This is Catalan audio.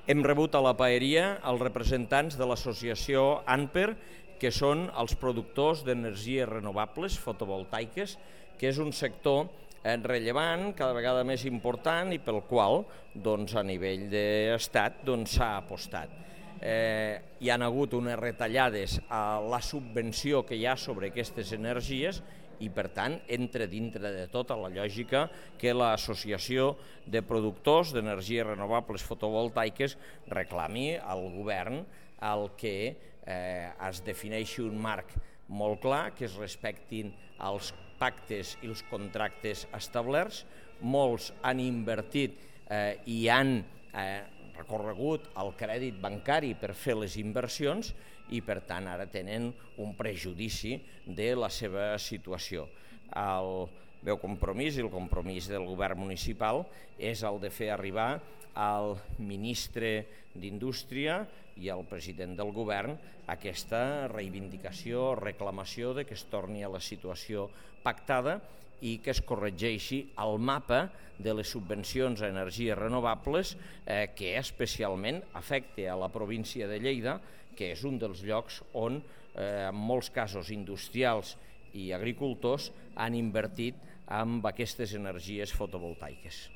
Hem rebut a la paeria els representants de l'associació ANPER, que són els productors d'energies renovables fotovoltaiques, que és un sector rellevant, cada vegada més important i pel qual a nivell d'estat s'ha apostat. Hi ha hagut unes retallades a la subvenció que hi ha sobre aquestes energies i, per tant, entra dintre de tota la lògica que l'Associació de Productors d'Energies Renovables Fotovoltaiques reclami al govern el que es defineixi un marc molt clar, que es respectin els pactes i els contractes establerts. Molts han invertit i han recorregut el crèdit bancari per fer les inversions i, per tant, ara tenen un prejudici de la seva situació. El meu compromís i el compromís del govern municipal és el de fer arribar al ministre d'Indústria i al president del govern aquesta reivindicació, reclamació de que es torni a la situació pactada i que es corregeixi el mapa de les subvencions a energies renovables que especialment afecta a la província de Lleida, que és un dels llocs on en molts casos industrials i agricultors han invertit en aquestes energies fotovoltaiques.